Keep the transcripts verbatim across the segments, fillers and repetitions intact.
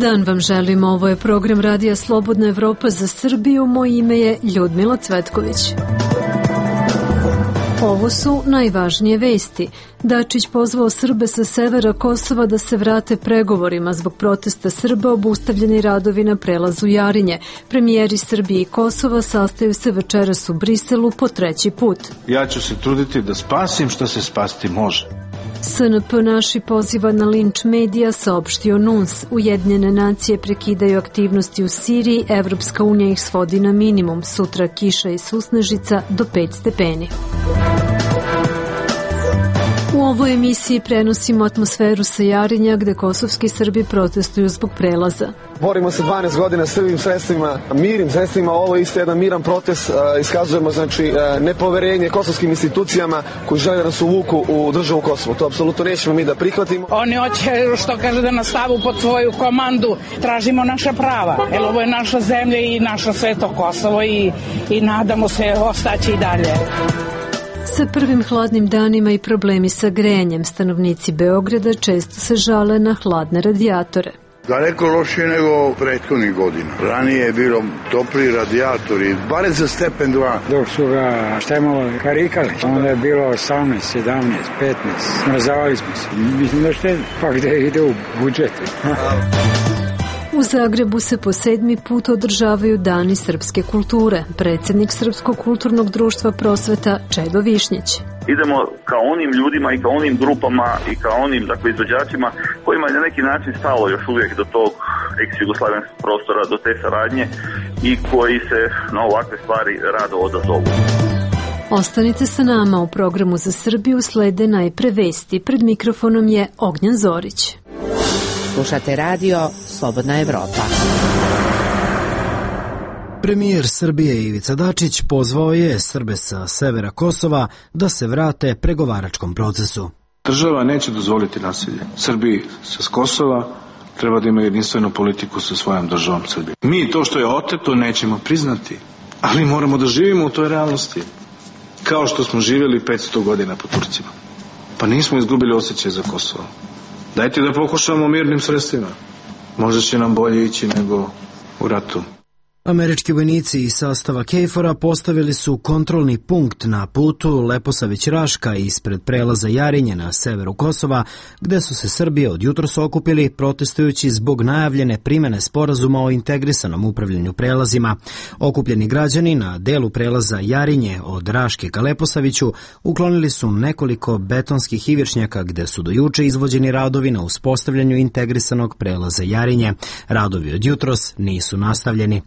dan vam želim, ovo je program Radija Slobodna Evropa za Srbiju, moje ime je Ljudmila Cvetković. Ovo su najvažnije vesti. Dačić pozvao Srbe sa severa Kosova da se vrate pregovorima zbog protesta Srba, obustavljeni radovi na prelazu Jarinje. Premijeri Srbije i Kosova sastaju se večeras u Briselu po treći put. Ja ću se truditi da spasim što se spasti može. S N P naši poziva na linč medija, saopštio N U N S. Ujedinjene nacije prekidaju aktivnosti u Siriji, Evropska unija ih svodi na minimum. Sutra kiša i susnežica do pet stepeni. U ovoj emisiji prenosimo atmosferu sa Jarinja, gde kosovski Srbi protestuju zbog prelaza. Borimo se dvanaest godina srbim sredstvima, mirnim sredstvima, ovo je isto jedan miran protest, iskazujemo znači nepoverenje kosovskim institucijama koji žele da nas uvuku u državu Kosovo. To apsolutno nećemo mi da prihvatimo. Oni hoće, što kaže, da nas stavu pod svoju komandu, tražimo naša prava, jer ovo je naša zemlja i naša sveto Kosovo i, i nadamo se ostaći i dalje. Sa prvim hladnim danima i problemi sa grejanjem, stanovnici Beograda često se žale na hladne radijatore. Daleko lošije nego prethodnih godina. Ranije je bilo topli radijatori, bare za stepen dva. Dok su ga štemalo karikali, onda je bilo osamnaest, sedamnaest, petnaest. Smrzavali smo se. Mislim da štedi. Pa gde ide u budžet. U Zagrebu se po sedmi put održavaju Dani srpske kulture. Predsjednik Srpskog kulturnog društva Prosveta Čedo Višnjić. Idemo ka onim ljudima i ka onim grupama i ka onim dakle, izvođačima kojima je na neki način stalo još uvijek do tog ex-jugoslavenskog prostora, do te saradnje i koji se na ovakve stvari rado odazovu. Ostanite sa nama, u programu za Srbiju slede najpre vesti. Pred mikrofonom je Ognjan Zorić. Slušate radio Slobodna Evropa. Premijer Srbije Ivica Dačić pozvao je Srbe sa severa Kosova da se vrate pregovaračkom procesu. Država neće dozvoliti nasilje. Srbiji sa Kosova treba da ima jedinstvenu politiku sa svojom državom Srbije. Mi to što je oteto nećemo priznati, ali moramo da živimo u toj realnosti. Kao što smo živjeli petsto godina po Turcima. Pa nismo izgubili osjećaj za Kosovo. Dajte da pokušamo mirnim sredstvima. Možda će nam bolje ići nego u ratu. Američki vojnici iz sastava KFOR-a postavili su kontrolni punkt na putu Leposavić-Raška ispred prelaza Jarinje na severu Kosova, gde su se Srbi od jutros okupili protestujući zbog najavljene primene sporazuma o integrisanom upravljanju prelazima. Okupljeni građani na delu prelaza Jarinje od Raške ka Leposaviću uklonili su nekoliko betonskih ivičnjaka gde su do juče izvođeni radovi na uspostavljanju integrisanog prelaza Jarinje. Radovi od jutros nisu nastavljeni.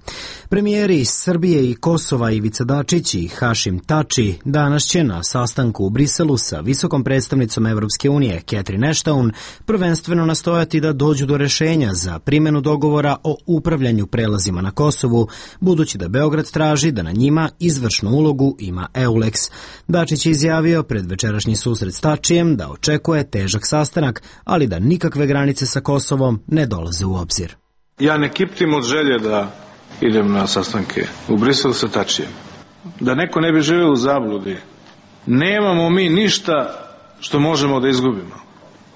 Premijeri iz Srbije i Kosova Ivica Dačić i Hašim Tači danas će na sastanku u Briselu sa visokom predstavnicom Evropske unije Catherine Ashton prvenstveno nastojati da dođu do rešenja za primjenu dogovora o upravljanju prelazima na Kosovu, budući da Beograd traži da na njima izvršnu ulogu ima EULEX. Dačić je izjavio pred večerašnji susret s Tačijem da očekuje težak sastanak, ali da nikakve granice sa Kosovom ne dolaze u obzir. Ja ne kiptim od želje da idem na sastanke u Briselu sa Tačijem. Da neko ne bi živio u zabludi. Nemamo mi ništa što možemo da izgubimo.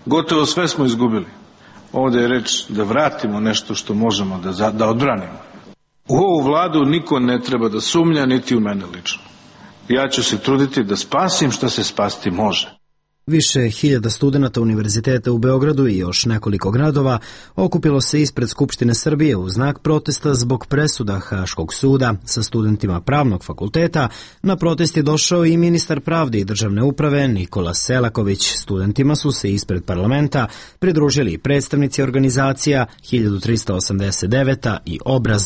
Gotovo sve smo izgubili. Ovdje je reč da vratimo nešto što možemo da, da odbranimo. U ovu vladu niko ne treba da sumnja, niti u mene lično. Ja ću se truditi da spasim što se spasti može. Više hiljada studenata Univerziteta u Beogradu i još nekoliko gradova okupilo se ispred Skupštine Srbije u znak protesta zbog presuda Haškog suda. Sa studentima Pravnog fakulteta na protest je došao i ministar pravde i državne uprave Nikola Selaković. Studentima su se ispred parlamenta pridružili predstavnici organizacija hiljadu trista osamdeset deveta i Obraz.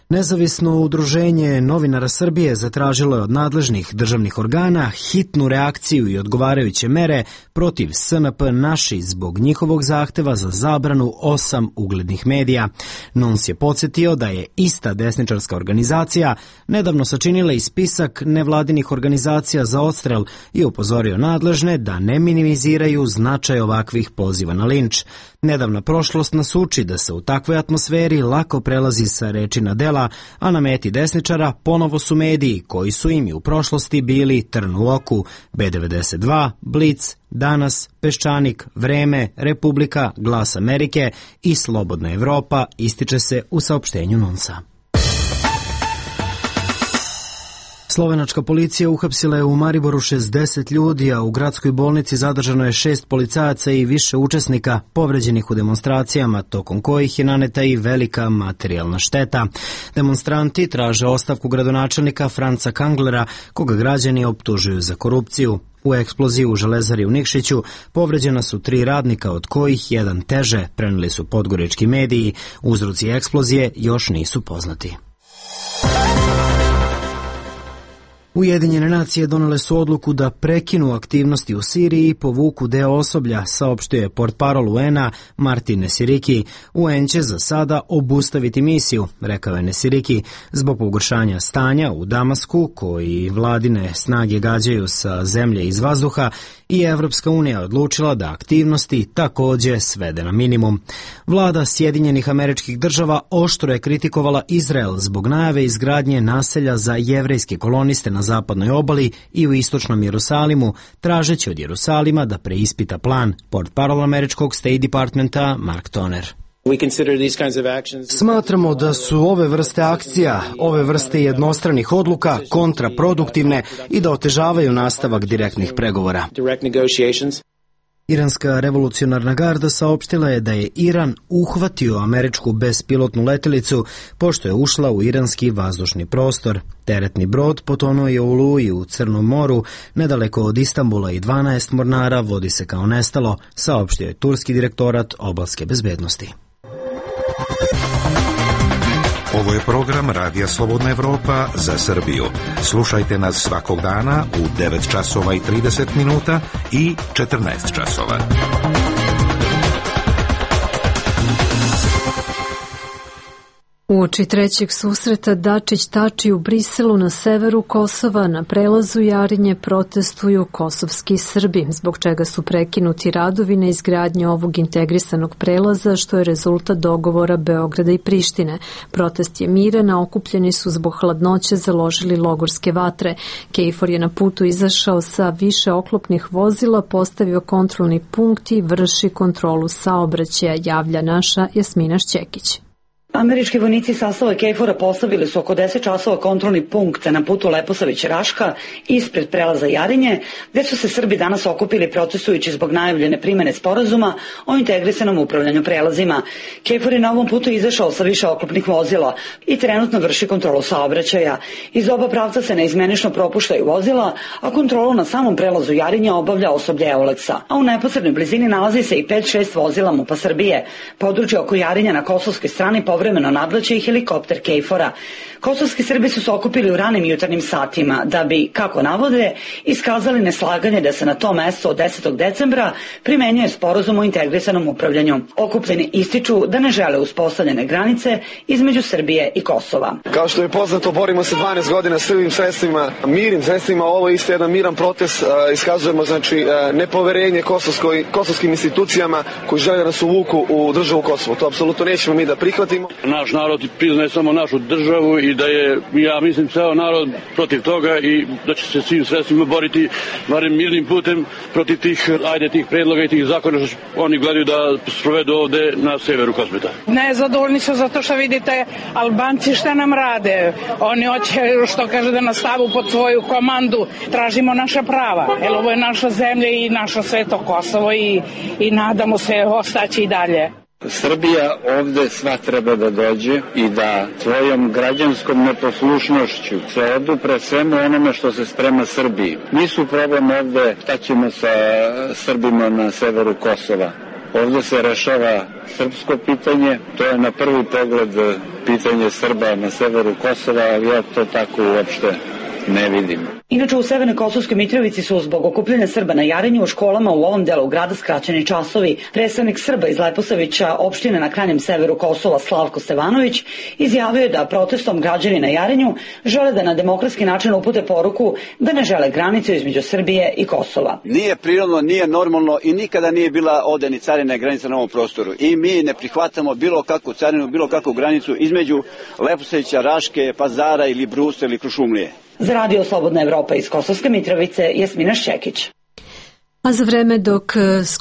Nezavisno udruženje novinara Srbije zatražilo je od nadležnih državnih organa hitnu reakciju i odgovarajuće mere protiv S N P Naši zbog njihovog zahteva za zabranu osam uglednih medija. N U N S je podsjetio da je ista desničarska organizacija nedavno sačinila i spisak nevladinih organizacija za odstrel i upozorio nadležne da ne minimiziraju značaj ovakvih poziva na linč. Nedavna prošlost nas uči da se u takvoj atmosferi lako prelazi sa reči na dela, a na meti desničara ponovo su mediji koji su im i u prošlosti bili trn u oku, B devedeset dva, Blic, Danas, Peščanik, Vreme, Republika, Glas Amerike i Slobodna Evropa, ističe se u saopštenju NUNS-a. Slovenačka policija uhapsila je u Mariboru šezdeset ljudi, a u gradskoj bolnici zadržano je šest policajaca i više učesnika povređenih u demonstracijama, tokom kojih je naneta i velika materijalna šteta. Demonstranti traže ostavku gradonačelnika Franca Kanglera, koga građani optužuju za korupciju. U eksploziji u Železari u Nikšiću povređena su tri radnika, od kojih jedan teže, preneli su podgorički mediji. Uzroci eksplozije još nisu poznati. Ujedinjene nacije donele su odluku da prekinu aktivnosti u Siriji i povuku deo osoblja, saopštio je portparol U N-a Martin Nesiriki. U N će za sada obustaviti misiju, rekao je Nesiriki, zbog pogoršanja stanja u Damasku, koji vladine snage gađaju sa zemlje iz vazduha, i Evropska unija odlučila da aktivnosti takođe svede na minimum. Vlada Sjedinjenih Američkih Država oštro je kritikovala Izrael zbog najave izgradnje naselja za jevrejske koloniste na zapadnoj obali i u istočnom Jerusalimu, tražeći od Jerusalima da preispita plan, portparol američkog State Departmenta Mark Toner. Smatramo da su ove vrste akcija, ove vrste jednostranih odluka kontraproduktivne i da otežavaju nastavak direktnih pregovora. Iranska revolucionarna garda saopštila je da je Iran uhvatio američku bespilotnu letelicu pošto je ušla u iranski vazdušni prostor. Teretni brod potonuo je u oluji u Crnom moru, nedaleko od Istanbula, i dvanaest mornara vodi se kao nestalo, saopštio je turski direktorat obalske bezbednosti. Ovo je program Radija Slobodna Evropa za Srbiju. Slušajte nas svakog dana u devet časova i trideset minuta i četrnaest časova. Uoči trećeg susreta Dačić-Tači u Briselu na severu Kosova na prelazu Jarinje protestuju kosovski Srbi, zbog čega su prekinuti radovi na izgradnju ovog integrisanog prelaza, što je rezultat dogovora Beograda i Prištine. Protest je miran, a okupljeni su zbog hladnoće založili logorske vatre. KFOR je na putu izašao sa više oklopnih vozila, postavio kontrolni punkt i vrši kontrolu saobraćaja, javlja naša Jasmina Šćekić. Američki vojnici sastava KFOR-a postavili su oko deset časova kontrolni punkt na putu Leposavić-Raška ispred prelaza Jarinje, gde su se Srbi danas okupili protestujući zbog najavljene primene sporazuma o integrisanom upravljanju prelazima. KFOR je na ovom putu izašao sa više oklopnih vozila i trenutno vrši kontrolu saobraćaja. Iz oba pravca se neizmenično propuštaju vozila, a kontrolu na samom prelazu Jarinje obavlja osoblje Euleksa. A u neposrednoj blizini nalazi se i pet šest vozila MUP-a Srbije. Područje oko Jarinja na kosovskoj strani povremeno nadleće i helikopter KFOR-a. Kosovski Srbi su se okupili u ranim jutarnjim satima da bi, kako navode, iskazali neslaganje da se na to mesto od desetog decembra primenjuje sporazum o integrisanom upravljanju. Okupljeni ističu da ne žele uspostavljene granice između Srbije i Kosova. Kao što je poznato, borimo se dvanaest godina srbim sredstvima, mirnim sredstvima. Ovo je isto jedan miran protest. Iskazujemo znači nepoverenje kosovskoj, kosovskim institucijama koji žele da nas uvuku u državu Kosovo. To apsolutno nećemo mi da prihvatimo. Naš narod priznaje samo našu državu i da je, ja mislim, ceo narod protiv toga i da će se svim sredstvima boriti, barem mirnim putem, protiv tih, ajde, tih predloga i tih zakona što oni gledaju da sprovedu ovde na severu Kosmeta. Nezadovoljni su zato što vidite Albanci šta nam rade. Oni hoće, što kaže, da nas stavu pod svoju komandu. Tražimo naša prava, jer ovo je naša zemlja i naša sveto Kosovo i, i nadamo se ostaći i dalje. Srbija ovde sva treba da dođe i da svojom građanskom neposlušnošću se odupre svemu onome što se sprema Srbiji. Nisu problem ovde šta ćemo sa Srbima na severu Kosova. Ovde se rešava srpsko pitanje, to je na prvi pogled pitanje Srba na severu Kosova, ali ja to tako uopšte ne vidim. Inače, u Severnoj Kosovskoj Mitrovici su zbog okupljanja Srba na Jarinju u školama u ovom delu grada skraćeni časovi. Predstavnik Srba iz Leposavića, opštine na krajnjem severu Kosova, Slavko Stevanović, izjavio je da protestom građani na Jarinju žele da na demokratski način upute poruku da ne žele granicu između Srbije i Kosova. Nije prirodno, nije normalno i nikada nije bila ovde ni carina granica na ovom prostoru. I mi ne prihvatamo bilo kakvu carinu, bilo kakvu granicu između Leposavića, Raške, Pazara ili Brusa ili Krušumlije. Za Radio Slobodna Evropa iz Kosovske Mitrovice, Jasmina Šćekić. A za vreme dok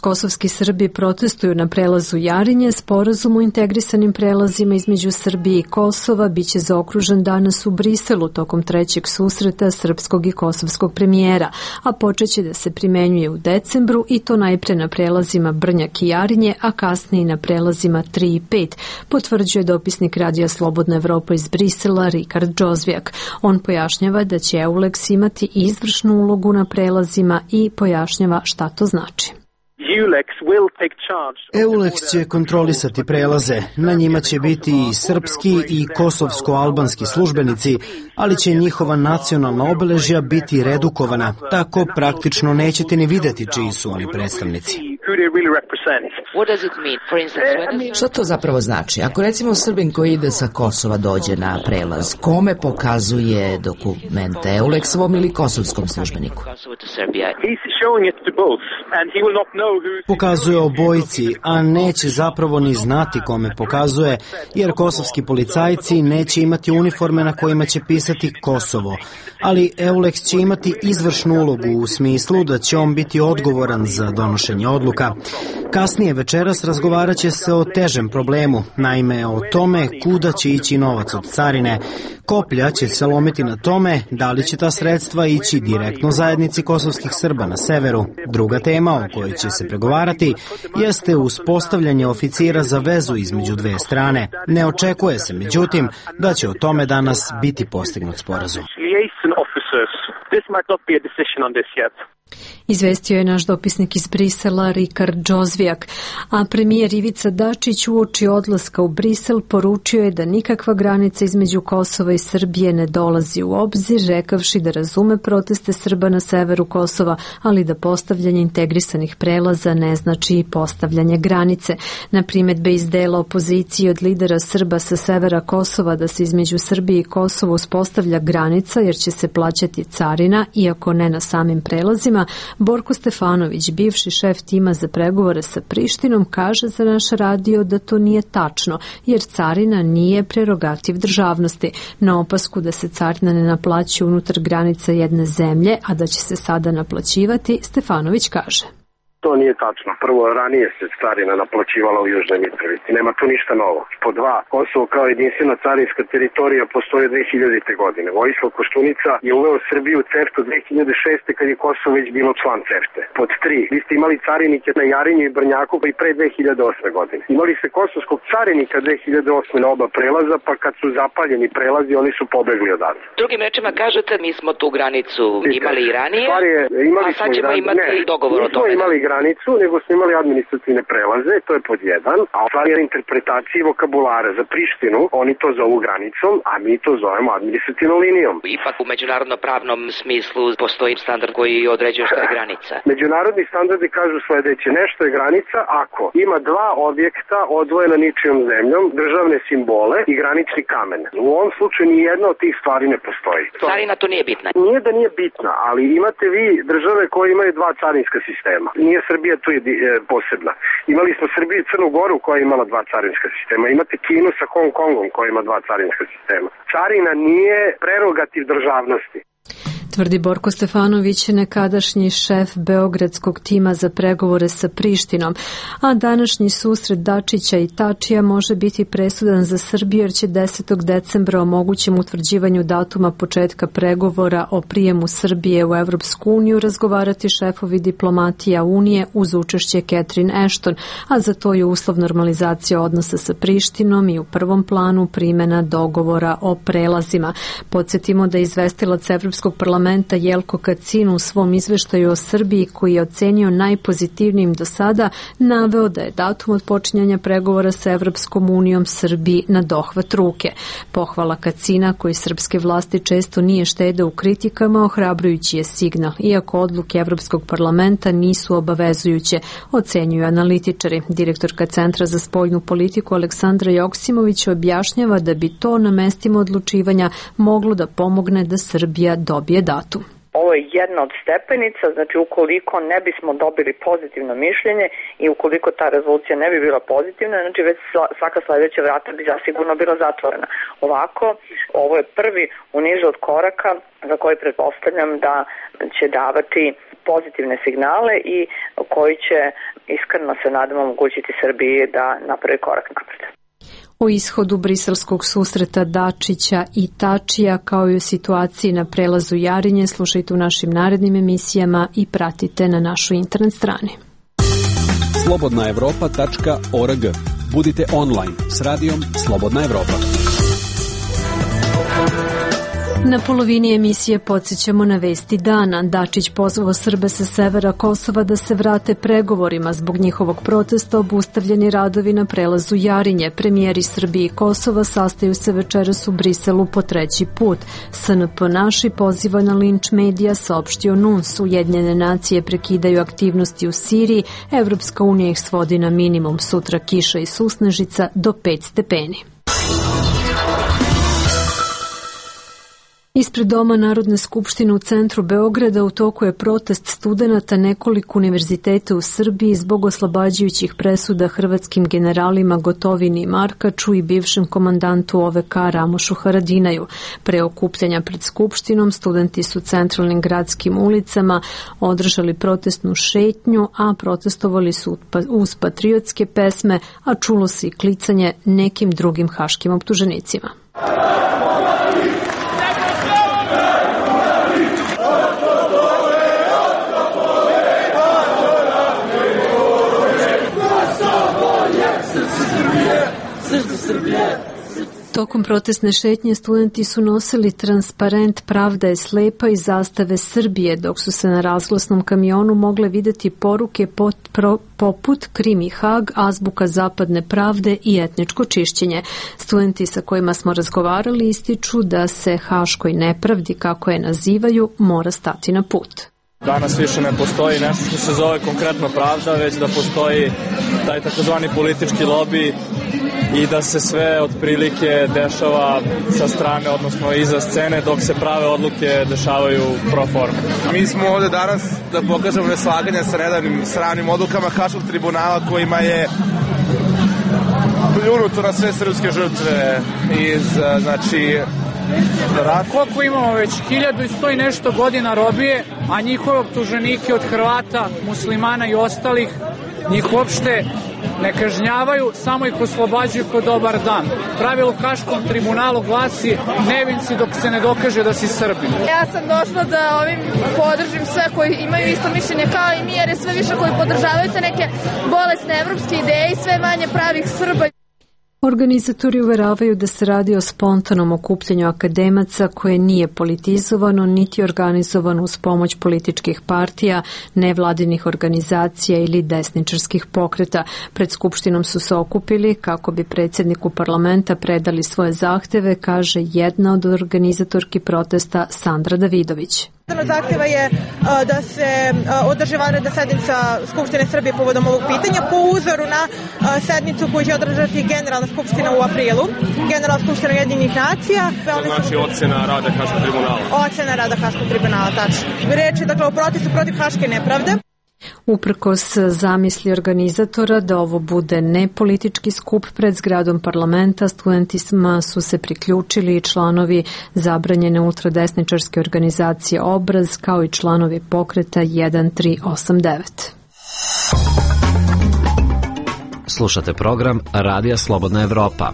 kosovski Srbi protestuju na prelazu Jarinje, sporazum o integrisanim prelazima između Srbije i Kosova biće zaokružen danas u Briselu tokom trećeg susreta srpskog i kosovskog premijera, a počeće da se primenjuje u decembru i to najpre na prelazima Brnjak i Jarinje, a kasnije na prelazima tri i pet, potvrđuje dopisnik Radija Slobodna Evropa iz Brisela Rikard Džozvijak. On pojašnjava da će EULEX imati izvršnu ulogu na prelazima i pojašnjava šta to znači. EULEX će kontrolisati prelaze. Na njima će biti i srpski i kosovsko-albanski službenici, ali će njihova nacionalna obeležja biti redukovana, tako praktično nećete ni videti čiji su oni predstavnici. Šta to zapravo znači? Ako recimo Srbin koji ide sa Kosova dođe na prelaz, kome pokazuje dokumente, EULEX-ovom ili kosovskom službeniku? Pokazuje obojici, a neće zapravo ni znati kome pokazuje, jer kosovski policajci neće imati uniforme na kojima će pisati Kosovo. Ali EULEX će imati izvršnu ulogu u smislu da će on biti odgovoran za donošenje odluka. Kasnije večeras razgovarat će se o težem problemu, naime o tome kuda će ići novac od carine. Koplja će se lomiti na tome da li će ta sredstva ići direktno zajednici kosovskih Srba na severu. Druga tema o kojoj će se pregovarati jeste uspostavljanje oficira za vezu između dve strane. Ne očekuje se, međutim, da će o tome danas biti postignut sporazum. Izvestio je naš dopisnik iz Brisela Rikard Džozvijak, a premijer Ivica Dačić uoči odlaska u Brisel poručio je da nikakva granica između Kosova i Srbije ne dolazi u obzir, rekavši da razume proteste Srba na severu Kosova, ali da postavljanje integrisanih prelaza ne znači postavljanje granice. Na primedbe iz dela opozicije od lidera Srba sa severa Kosova da se između Srbije i Kosova uspostavlja granica jer će se plaćati carina, iako ne na samim prelazima, Borko Stefanović, bivši šef tima za pregovore sa Prištinom, kaže za naš radio da to nije tačno, jer carina nije prerogativ državnosti. Na opasku da se carina ne naplaćuje unutar granica jedne zemlje, a da će se sada naplaćivati, Stefanović kaže. To nije tačno. Prvo, ranije se carina naplaćivala u Južnoj Mitrovici. Nema tu ništa novo. Po dva, Kosovo kao jedinstvena carinska teritorija postoje dve hiljadite. godine. Vojislav Koštunica je uveo Srbiju u CEFTA dve hiljade šeste. kad je Kosovo već bilo član CEFTA. Pod tri, vi ste imali carinike na Jarinju i Brnjaku pa i pre dve hiljade osme. godine. Imali ste kosovskog carinika dve hiljade osme. na oba prelaza, pa kad su zapaljeni prelazi, oni su pobegli odatle. Drugim rečima kažete, mi smo tu granicu imali i ranije, je, imali a sad ćemo ran... imati ne, dogovor o tome. Imali granicu, nego smo imali administrativne prelaze, to je pod jedan, a stvar je interpretacije vokabulara. Za Prištinu oni to zovu granicom, a mi to zovemo administrativnom linijom. Ipak u međunarodno-pravnom smislu postoji standard koji određuje šta je granica. Međunarodni standardi kažu sledeće, nešto je granica ako ima dva objekta odvojena ničijom zemljom, državne simbole i granični kamen. U ovom slučaju ni jedna od tih stvari ne postoji. To... Carina to nije bitna. Nije da nije bitna, ali imate vi države koje imaju dva carinska sistema. Nije Srbija tu je posebna. Imali smo Srbiju i Crnu Goru koja je imala dva carinska sistema. Imate Kinu sa Hong Kongom koja ima dva carinska sistema. Carina nije prerogativ državnosti. Tvrdi Borko Stefanović, nekadašnji šef beogradskog tima za pregovore sa Prištinom, a današnji susret Dačića i Tačija može biti presudan za Srbiju jer će desetog decembra o mogućem utvrđivanju datuma početka pregovora o prijemu Srbije u Evropsku uniju razgovarati šefovi diplomatija Unije uz učešće Catherine Ashton, a za to je uslov normalizacija odnosa sa Prištinom i u prvom planu primjena dogovora o prelazima. Podsjetimo da je izvestilac Evropskog parlamenta parlamenta Jelko Kacin u svom izveštaju o Srbiji, koji je ocenio najpozitivnijim do sada, naveo da je datum od počinjanja pregovora sa Evropskom unijom Srbiji na dohvat ruke. Pohvala Kacina, koji srpske vlasti često nije štede u kritikama, ohrabrujući je signal, iako odluke Evropskog parlamenta nisu obavezujuće, ocenjuju analitičari. Direktorka Centra za spoljnu politiku Aleksandra Joksimović objašnjava da bi to na mestima odlučivanja moglo da pomogne da Srbija dobije datum. Ovo je jedna od stepenica, znači ukoliko ne bismo dobili pozitivno mišljenje i ukoliko ta rezolucija ne bi bila pozitivna, znači već svaka sledeća vrata bi zasigurno bila zatvorena. Ovako, ovo je prvi u nizu od koraka za koji pretpostavljam da će davati pozitivne signale i koji će, iskreno se nadam, omogućiti Srbiji da napravi korak napred. O ishodu briselskog susreta Dačića i Tačija, kao i o situaciji na prelazu Jarinje, slušajte u našim narednim emisijama i pratite na našoj internet strani. slobodna evropa tačka org. Budite online s radijom Slobodna Evropa. Na polovini emisije podsjećamo na vesti dana. Dačić pozvao Srbe sa severa Kosova da se vrate pregovorima. Zbog njihovog protesta obustavljeni radovi na prelazu Jarinje. Premijeri Srbije i Kosova sastaju se večeras u Briselu po treći put. S N P naši poziva na linč medija, saopštio N U N S. Ujedinjene nacije prekidaju aktivnosti u Siriji. Evropska unija ih svodi na minimum. Sutra kiša i susnežica do pet stepeni. Ispred Doma Narodne skupštine u centru Beograda u toku je protest studenata nekoliko univerziteta u Srbiji zbog oslobađajućih presuda hrvatskim generalima Gotovini i Markaču i bivšem komandantu O V K Ramošu Haradinaju. Pre okupljanja pred skupštinom studenti su centralnim gradskim ulicama održali protestnu šetnju, a protestovali su uz patriotske pesme, a čulo se i klicanje nekim drugim haškim optuženicima. Tokom protestne šetnje studenti su nosili transparent Pravda je slepa i zastave Srbije, dok su se na razglasnom kamionu mogle videti poruke pot, pro, poput Krim i Hag, azbuka zapadne pravde i etničko čišćenje. Studenti sa kojima smo razgovarali ističu da se haškoj nepravdi, kako je nazivaju, mora stati na put. Danas više ne postoji nešto što se zove konkretno pravda, već da postoji taj takozvani politički lobi i da se sve otprilike dešava sa strane, odnosno iza scene, dok se prave odluke dešavaju pro forme. Mi smo ovde danas da pokažemo neslaganje sa nedavnim sramnim odlukama Haškog tribunala kojima je pljunuto na sve srpske žrtve iz, znači, koliko imamo već hiljadu i sto i nešto godina robije, a njihove optuženike od Hrvata, muslimana i ostalih njih uopšte ne kažnjavaju, samo ih oslobađaju po dobar dan. Pravilo u Haškom tribunalu glasi nevin si dok se ne dokaže da si Srbin. Ja sam došla da ovim podržim sve koji imaju isto mišljenje kao i mi, jer je sve više koji podržavaju te neke bolesne evropske ideje i sve manje pravih Srba. Organizatori uveravaju da se radi o spontanom okupljanju akademaca koje nije politizovano niti organizovano uz pomoć političkih partija, nevladinih organizacija ili desničarskih pokreta. Pred skupštinom su se okupili kako bi predsjedniku parlamenta predali svoje zahteve, kaže jedna od organizatorki protesta Sandra Davidović. Jedan od zahtjeva je da se održi vanredna sednica Skupštine Srbije povodom ovog pitanja po uzoru na sednicu koju će održati Generalna skupština u aprilu, Generalna skupština Ujedinjenih nacija. To znači ocena rada Haškog tribunala. Ocena rada Haškog tribunala, tačno. Reč je dakle o protestu protiv haške nepravde. Uprkos zamisli organizatora da ovo bude nepolitički skup pred zgradom parlamenta, studentima su se priključili i članovi zabranjene ultradesničarske organizacije Obraz, kao i članovi pokreta jedan tri osam devet. Slušate program Radija Slobodna Evropa.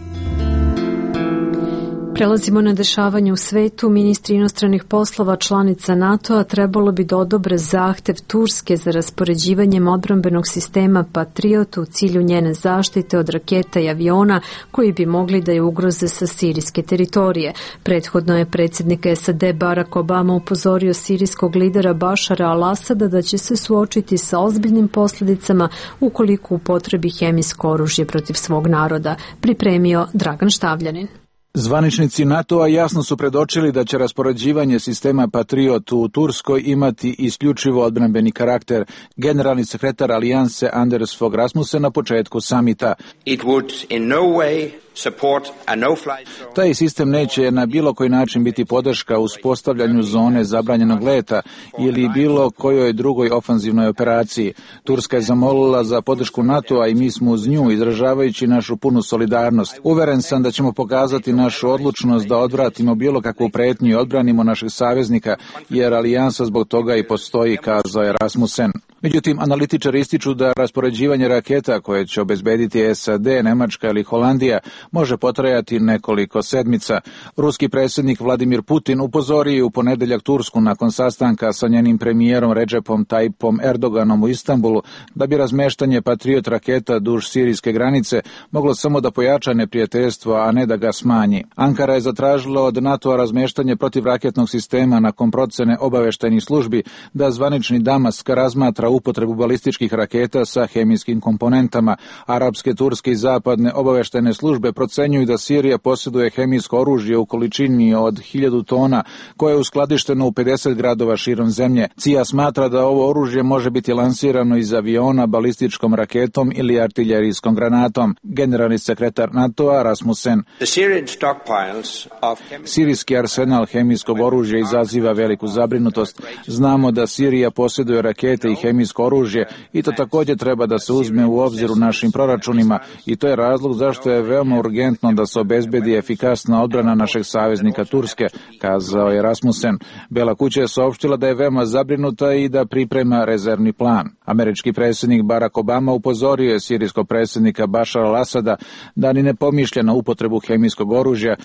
Prelazimo na dešavanje u svetu. Ministri inostranih poslova članica NATO-a trebalo bi da odobre zahtev Turske za raspoređivanjem odbrambenog sistema Patriot u cilju njene zaštite od raketa i aviona koji bi mogli da je ugroze sa sirijske teritorije. Prethodno je predsjednik S A D Barack Obama upozorio sirijskog lidera Bašara al-Asada da će se suočiti sa ozbiljnim posljedicama ukoliko upotrebi hemijsko oružje protiv svog naroda. Pripremio Dragan Štavljanin. Zvaničnici NATO-a jasno su predočili da će raspoređivanje sistema Patriot u Turskoj imati isključivo odbrambeni karakter. Generalni sekretar Alijanse Anders Fogh Rasmussen na početku samita. It would in no way support a no-fly zone. Taj sistem neće na bilo koji način biti podrška u uspostavljanju zone zabranjenog leta ili bilo kojoj drugoj ofanzivnoj operaciji. Turska je zamolila za podršku NATO-a i mi smo uz nju, izražavajući našu punu solidarnost. Uveren sam da ćemo pokazati našu odlučnost da odvratimo bilo kakvu pretnju i odbranimo našeg saveznika, jer alijansa zbog toga i postoji, kazao je Rasmussen. Međutim, analitičari ističu da raspoređivanje raketa koje će obezbediti S A D, Nemačka ili Holandija može potrajati nekoliko sedmica. Ruski predsjednik Vladimir Putin upozorio je u ponedeljak Tursku nakon sastanka sa njenim premijerom Recepom Tayyipom Erdoganom u Istanbulu da bi razmeštanje Patriot raketa duž sirijske granice moglo samo da pojača neprijateljstvo, a ne da ga smanji. Ankara je zatražila od NATO-a razmeštanje protivraketnog sistema nakon procene obaveštajnih službi da zvanični Damask razmatra upotrebu balističkih raketa sa hemijskim komponentama. Arapske, turske i zapadne obaveštajne službe procenjuju da Sirija posjeduje hemijsko oružje u količini od hiljadu tona koje je uskladišteno u pedeset gradova širom zemlje. C I A smatra da ovo oružje može biti lansirano iz aviona, balističkom raketom ili artiljerijskom granatom. Generalni sekretar NATO-a Rasmussen. Sirijski arsenal hemijskog oružja izaziva veliku zabrinutost. Znamo da Sirija posjeduje rakete i hemijsko oružje i to također treba da se uzme u obzir u našim proračunima i to je razlog zašto je veoma urgentno da se obezbedi efikasna odbrana našeg saveznika Turske, kazao je Rasmussen. Bela kuća je saopštila da je veoma zabrinuta i da priprema rezervni plan. Američki predsjednik Barack Obama upozorio je sirijskog predsjednika Bašara al-Asada da ni ne pomišlja na upotrebu hemijskog oružja.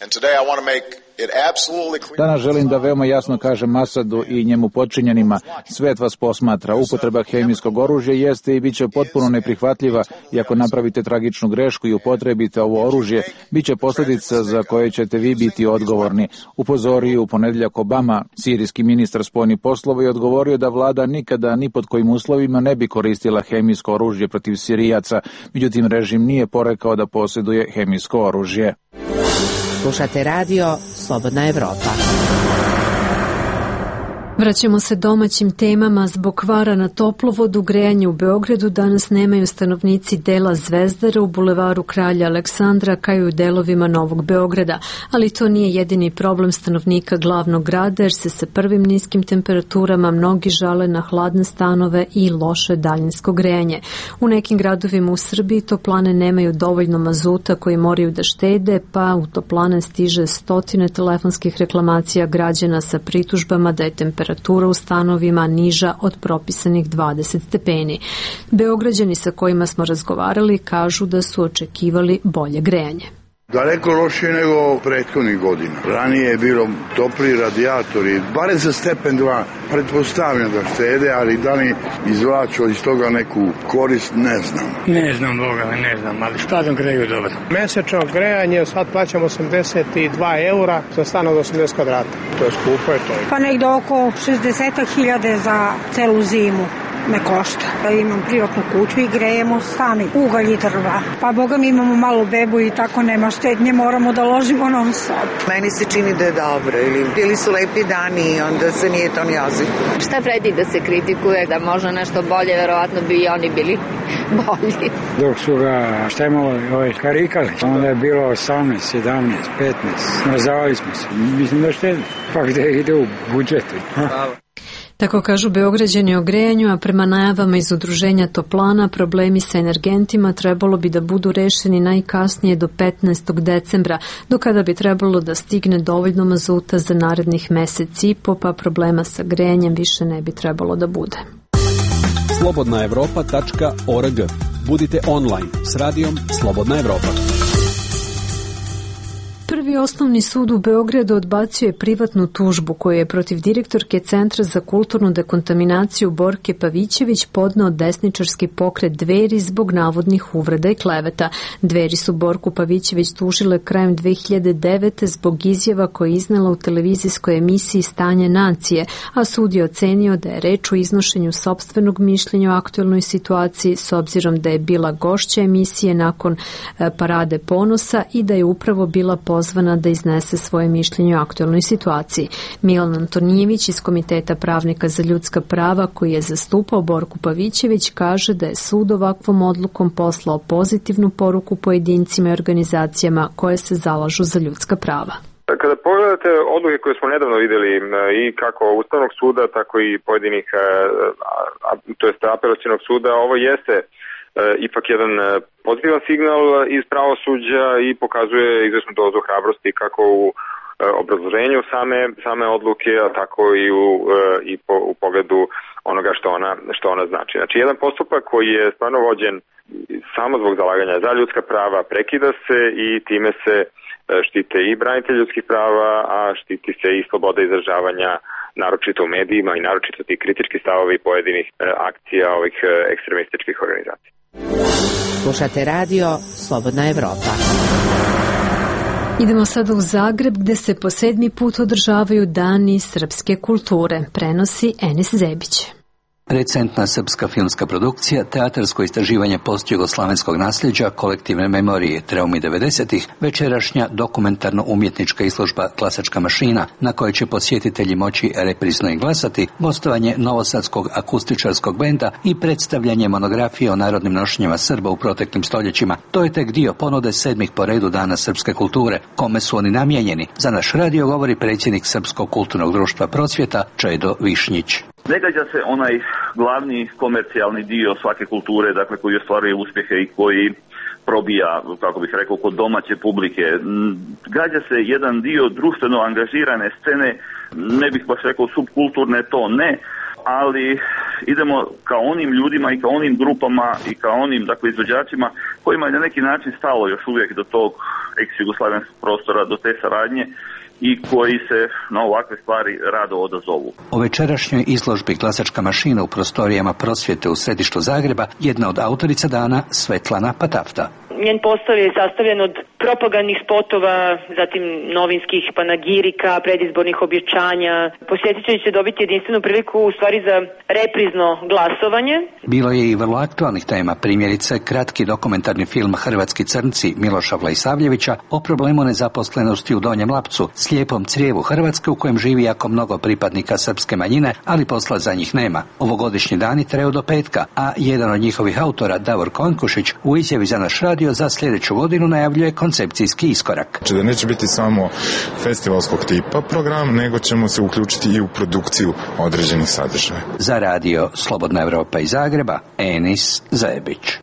Danas želim da veoma jasno kažem Asadu i njemu podčinjenima, svet vas posmatra, upotreba hemijskog oružja jeste i bit će potpuno neprihvatljiva i ako napravite tragičnu grešku i upotrebite ovo oružje, bit će posljedica za koje ćete vi biti odgovorni. Upozorio u ponedeljak Obama, sirijski ministar spoljnih poslova, i odgovorio da vlada nikada ni pod kojim uslovima ne bi koristila hemijsko oružje protiv Sirijaca, međutim režim nije porekao da posjeduje hemijsko oružje. Slušate radio Slobodna Evropa. Vraćamo se domaćim temama. Zbog kvara na toplovodu, grejanje u Beogradu danas nemaju stanovnici dela Zvezdara u bulevaru Kralja Aleksandra kao i u delovima Novog Beograda, ali to nije jedini problem stanovnika glavnog grada jer se sa prvim niskim temperaturama mnogi žale na hladne stanove i loše daljinsko grejanje. U nekim gradovima u Srbiji toplane nemaju dovoljno mazuta koji moraju da štede, pa u toplane stiže stotine telefonskih reklamacija građana sa pritužbama da je temperatura temperatura u stanovima niža od propisanih dvadeset stepeni. Beograđani sa kojima smo razgovarali kažu da su očekivali bolje grejanje. Daleko lošije nego prethodnih godina. Ranije je bilo topli radijatori, bare za stepen dva, pretpostavljam da štede, ali da li izvlaču iz toga neku korist, ne znam. Ne znam, Boga, ne znam, ali stvarno greju dobro. Mesečno grejanje, sad plaćamo osamdeset dva eura za stan od osamdeset kvadrata. To je skupo, je to. Pa negde oko šezdeset hiljada za celu zimu me košta. Imam privatnu kuću i grejemo sami, ugalj i drva. Pa boga mi imamo malu bebu i tako nema štednje, moramo da ložimo non stop. Meni se čini da je dobro, ili bili su lepi dani i onda se nije to ni ozim. Šta vredi da se kritikuje, da može nešto bolje, verovatno bi i oni bili bolji. Dok su ga štemovali, ovaj, karikali, onda je bilo osamnaest, sedamnaest, petnaest, smrzavali smo se, mislim da štedno, pa gde ide u budžetu. Tako kažu Beograđani o grejanju, a prema najavama iz udruženja Toplana problemi sa energentima trebalo bi da budu rešeni najkasnije do petnaestog decembra, do kada bi trebalo da stigne dovoljno mazuta za narednih mesec i po, pa problema sa grejanjem više ne bi trebalo da bude. slobodna evropa tačka org. Budite online s radijom Slobodna Evropa. Prvi Prvi osnovni sud u Beogradu odbacio je privatnu tužbu koju je protiv direktorke Centra za kulturnu dekontaminaciju Borke Pavićević podneo desničarski pokret Dveri zbog navodnih uvreda i kleveta. Dveri su Borku Pavićević tužile krajem dve hiljade devete zbog izjava koje je iznela u televizijskoj emisiji Stanje nacije, a sud je ocenio da je reč o iznošenju sopstvenog mišljenja o aktuelnoj situaciji s obzirom da je bila gošća emisije nakon Parade ponosa i da je upravo bila pozvana da iznese svoje mišljenje o aktuelnoj situaciji. Milan Antonijević iz Komiteta pravnika za ljudska prava koji je zastupao Borku Pavićević kaže da je sud ovakvom odlukom poslao pozitivnu poruku pojedincima i organizacijama koje se zalažu za ljudska prava. Kada pogledate odluke koje smo nedavno vidjeli i kako Ustavnog suda, tako i pojedinih, to jest apelacionog suda, ovo jeste ipak jedan pozitivan signal iz pravosuđa i pokazuje izvesnu dozu hrabrosti kako u obrazloženju same, same odluke, a tako i u, i po, u pogledu onoga što ona, što ona znači. Znači, jedan postupak koji je stvarno vođen samo zbog zalaganja za ljudska prava prekida se i time se štite i branitelji ljudskih prava, a štiti se i sloboda izražavanja, naročito u medijima i naročito ti kritički stavovi pojedinih akcija ovih ekstremističkih organizacija. Slušate radio Slobodna Evropa. Idemo sada u Zagreb gde se po sedmi put održavaju Dani srpske kulture. Prenosi Enis Zebić. Recentna srpska filmska produkcija, teatarsko istraživanje postjugoslavenskog nasljeđa, kolektivne memorije, traumi devedesetih, večerašnja dokumentarno-umjetnička izložba Glasačka mašina, na kojoj će posjetitelji moći reprizno i glasati, gostovanje novosadskog akustičarskog benda i predstavljanje monografije o narodnim nošnjama Srba u proteklim stoljećima. To je tek dio ponude sedmih po redu Dana srpske kulture. Kome su oni namijenjeni? Za naš radio govori predsjednik Srpskog kulturnog društva Prosvjeta, Čedo Višnjić. Ne gađa se onaj glavni komercijalni dio svake kulture, dakle koji ostvaruje uspjehe i koji probija, kako bih rekao, kod domaće publike. Gađa se jedan dio društveno angažirane scene, ne bih baš rekao subkulturne, to ne, ali idemo ka onim ljudima i ka onim grupama i ka onim, dakle, izvođačima kojima je na neki način stalo još uvijek do tog ex-jugoslavenskog prostora, do te saradnje, i koji se na ovakve stvari rado odazovu. O večerašnjoj izložbi Glasačka mašina u prostorijama Prosvjete u središtu Zagreba jedna od autorica dana Svetlana Patafta. Njen postav je sastavljen od propagandnih spotova, zatim novinskih panagirika, predizbornih objećanja. Posjetitelji će dobiti jedinstvenu priliku u stvari za reprizno glasovanje. Bilo je i vrlo aktualnih tema, primjerice kratki dokumentarni film Hrvatski crnci Miloša Vlajsavljevića o problemu nezaposlenosti u Donjem Lapcu, slijepom crijevu Hrvatske u kojem živi jako mnogo pripadnika srpske manjine, ali posla za njih nema. Ovogodišnji dani traju do petka, a jedan od njihovih autora, Davor Konkušić, u izjavi za naš radio za sljedeću godinu najavljuje koncepcijski iskorak. Znači da neće biti samo festivalskog tipa program, nego ćemo se uključiti i u produkciju određenih sadržaja. Za radio Slobodna Evropa iz Zagreba, Enis Zebić.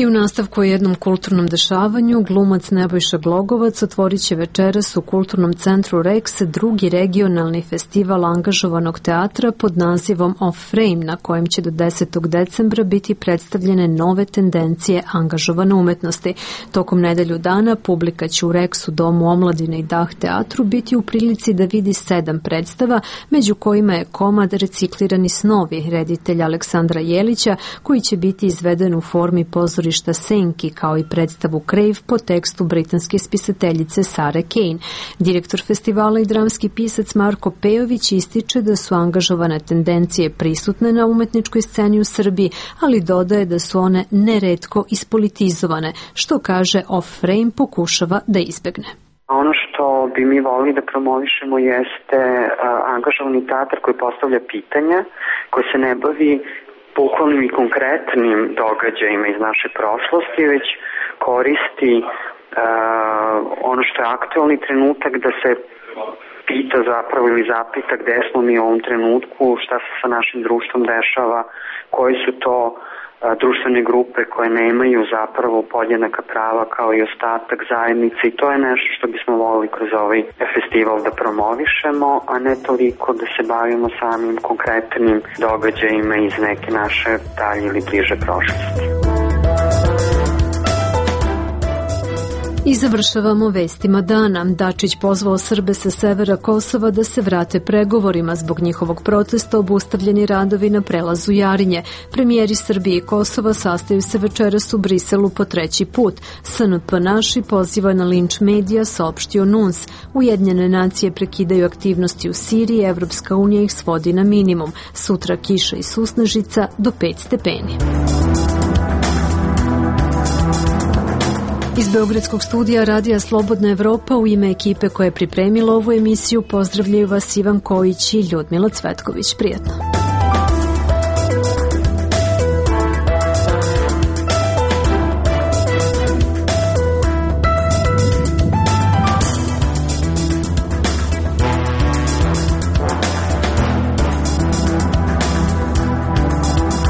I u nastavku o jednom kulturnom dešavanju, glumac Nebojša Glogovac otvorit će večeras u Kulturnom centru Rex drugi regionalni festival angažovanog teatra pod nazivom Off Frame, na kojem će do desetog decembra biti predstavljene nove tendencije angažovane umetnosti. Tokom nedelju dana publika će u Rexu, Domu omladine i Dah teatru biti u prilici da vidi sedam predstava, među kojima je komad Reciklirani snovi reditelja Aleksandra Jelića, koji će biti izveden u formi pozorišta Senki, kao i predstavu Crave po tekstu britanske spisateljice Sare Kane. Direktor festivala i dramski pisac Marko Pejović ističe da su angažovane tendencije prisutne na umetničkoj sceni u Srbiji, ali dodaje da su one neretko ispolitizovane, što kaže Off Frame pokušava da izbegne. Ono što bi mi volili da promovišemo jeste a, angažovani teatar koji postavlja pitanja, koji se ne bavi bukvalnim i konkretnim događajima iz naše prošlosti, već koristi uh, ono što je aktualni trenutak da se pita zapravo ili zapita gde smo mi u ovom trenutku, šta se sa našim društvom dešava, koji su to uh, društvene grupe koje nemaju zapravo podjednaka prava kao i ostatak zajednice, i to je nešto što bismo volili kroz ovaj festival da promovišemo, a ne toliko da se bavimo samim konkretnim događajima iz neke naše dalje ili bliže prošlosti. I završavamo vestima dana. Dačić pozvao Srbe sa severa Kosova da se vrate pregovorima. Zbog njihovog protesta obustavljeni radovi na prelazu Jarinje. Premijeri Srbije i Kosova sastaju se večeras u Briselu po treći put. S N P naši poziva na linč medija, saopštio N U N S. Ujedinjene nacije prekidaju aktivnosti u Siriji, Evropska unija ih svodi na minimum. Sutra kiša i susnežica do pet stepeni. Iz Beogradskog studija Radija Slobodna Evropa u ime ekipe koja je pripremila ovu emisiju pozdravljaju vas Ivan Kojić i Ljudmila Cvetković. Prijetno.